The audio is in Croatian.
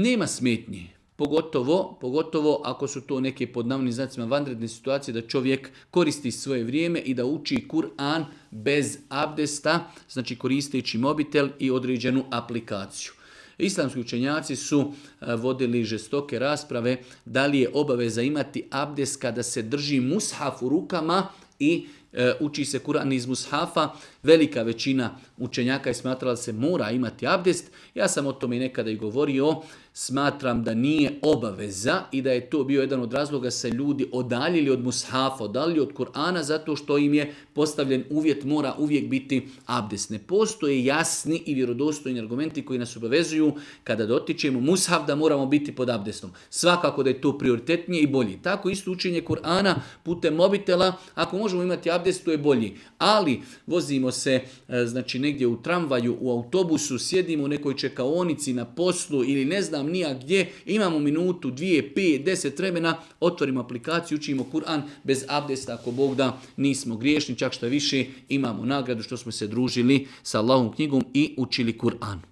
Nema smetnji. Pogotovo ako su to neke pod navodnim znacima vanredne situacije da čovjek koristi svoje vrijeme i da uči Kur'an bez abdesta, znači koristeći mobitel i određenu aplikaciju. Islamski učenjaci su vodili žestoke rasprave da li je obaveza imati abdest kada se drži mushaf u rukama i uči se Kur'an iz mushafa. Velika većina učenjaka je smatrala da se mora imati abdest. Ja sam o tome i nekada i govorio. Smatram da nije obaveza i da je to bio jedan od razloga se ljudi odaljili od mushafa, odaljili od Kur'ana zato što im je postavljen uvjet mora uvijek biti abdest. Ne postoje jasni i vjerodostojni argumenti koji nas obavezuju kada dotičemo mushaf da moramo biti pod abdestom. Svakako da je to prioritetnije i bolji. Tako isto učenje Kur'ana putem mobitela, ako možemo imati abdest, to je bolji. Ali vozimo se znači negdje u tramvaju, u autobusu, sjedimo u nekoj čekaonici na poslu ili ne znam nija gdje, imamo minutu, 2, 5, 10 vremena, otvorimo aplikaciju, učimo Kur'an bez abdesta, ako Bog da nismo griješni, čak što više imamo nagradu što smo se družili sa Allahovom knjigom i učili Kur'an.